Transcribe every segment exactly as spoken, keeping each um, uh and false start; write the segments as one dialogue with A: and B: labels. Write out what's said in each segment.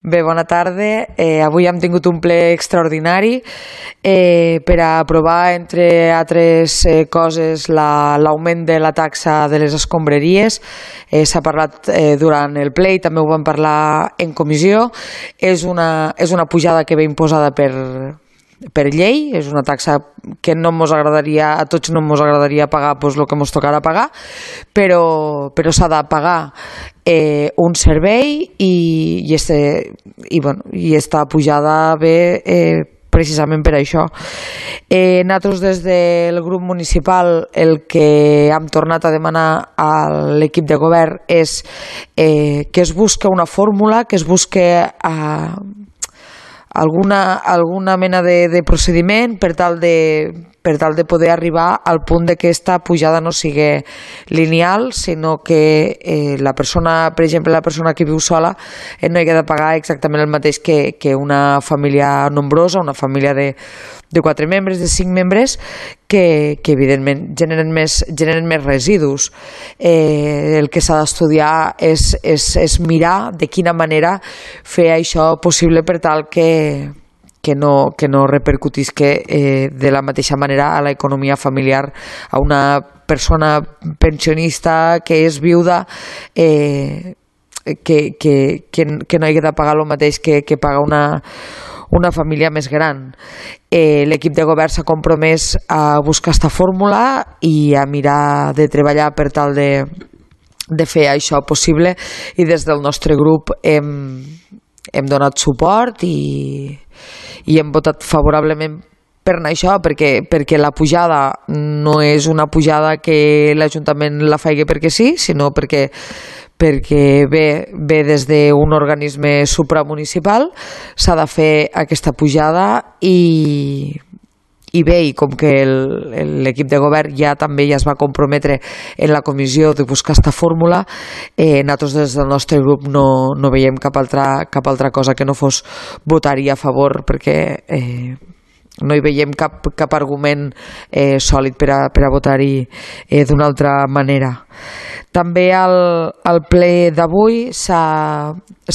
A: Bé, bona tarda. Eh, avui hem tingut un ple extraordinari eh, per a aprovar, entre altres eh, coses, l'augment la, de la taxa de les escombraries. Eh, S'ha parlat eh, durant el ple i també ho vam parlar en comissió. És una, és una pujada que ve imposada per... per llei, és una taxa que no ens agradaria, a tots no ens agradaria pagar pues, el que ens tocarà pagar, però, però s'ha de pagar eh, un servei i, i, este, i, bueno, i esta pujada ve eh, precisament per això. Eh, nosaltres des del grup municipal el que hem tornat a demanar a l'equip de govern és eh, que es busque una fórmula, que es busque a alguna, alguna mena de, de procediment per tal de, per tal de poder arribar al punt de que aquesta pujada no sigui lineal, sinó que eh, la persona, per exemple, la persona que viu sola eh, no hagi de pagar exactament el mateix que, que una família nombrosa, una família de, de quatre membres, de cinc membres, que, que evidentment generen més, generen més residus. Eh, el que s'ha d'estudiar és, és, és mirar de quina manera fer això possible per tal que, que, no, que no repercutisca eh, de la mateixa manera a l'economia familiar, a una persona pensionista que és viuda, eh, que, que, que, que no hagi de pagar el mateix que, que paga una una família més gran. Eh, l'equip de govern s'ha compromès a buscar aquesta fórmula i a mirar de treballar per tal de, de fer això possible, i des del nostre grup hem, hem donat suport i, i hem votat favorablement per anar això, perquè, perquè la pujada no és una pujada que l'Ajuntament la faci perquè sí, sinó perquè perquè ve, ve des d'un organisme supramunicipal, s'ha de fer aquesta pujada i, i bé, i com que l'equip de govern ja també ja es va comprometre en la comissió de buscar aquesta fórmula, eh, nosaltres des del nostre grup no, no veiem cap altra, cap altra cosa que no fos votar-hi a favor, perquè eh, no hi veiem cap, cap argument eh, sòlid per a, per a votar-hi eh, d'una altra manera. També al, al ple d'avui s'ha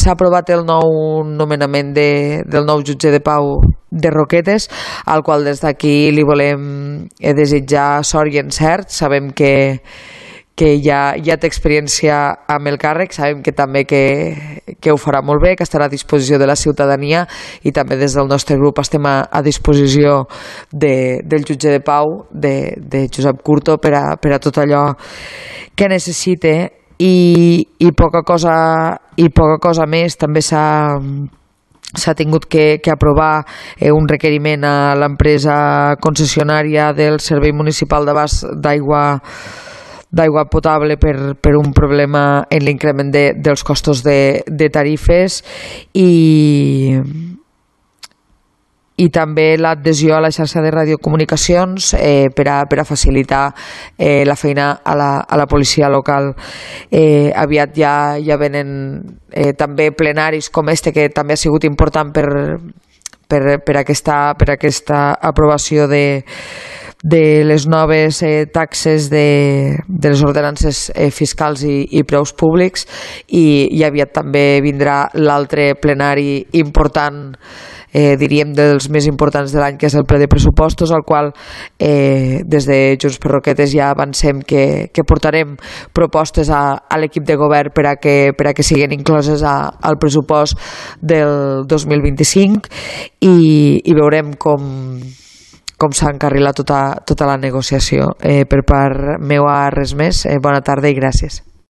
A: aprovat el nou nomenament de, del nou jutge de pau de Roquetes, al qual des d'aquí li volem eh, desitjar sort i encert. Sabem que, que ja, ja té experiència amb el càrrec, sabem que també que, que ho farà molt bé, que estarà a disposició de la ciutadania, i també des del nostre grup estem a, a disposició de, del jutge de pau, de, de Josep Curto, per a, per a tot allò que necessite, i, i poca cosa i poca cosa més. També s'ha s'ha tingut que, que aprovar eh, un requeriment a l'empresa concessionària del Servei Municipal d'Abast d'Aigua d'aigua potable per, per un problema en l'increment de, dels costos de, de tarifes, i i també l'adhesió a la xarxa de radiocomunicacions eh, per, a, per a facilitar eh, la feina a la, a la policia local. Eh, aviat ja, ja venen eh, també plenaris com este, que també ha sigut important per, per, per, aquesta, per aquesta aprovació de de les noves eh, taxes de, de les ordenances eh, fiscals i, i preus públics, i, i aviat també vindrà l'altre plenari important, eh, diríem dels més importants de l'any, que és el ple de pressupostos, al qual eh, des de Junts per Roquetes ja avancem que, que portarem propostes a, a l'equip de govern per a que, per a que siguin incloses a, al pressupost del dos mil vint-i-cinc, i, i veurem com com s'ha encarrilat tota, tota la negociació. Eh, per part meua res més, eh, bona tarda i gràcies.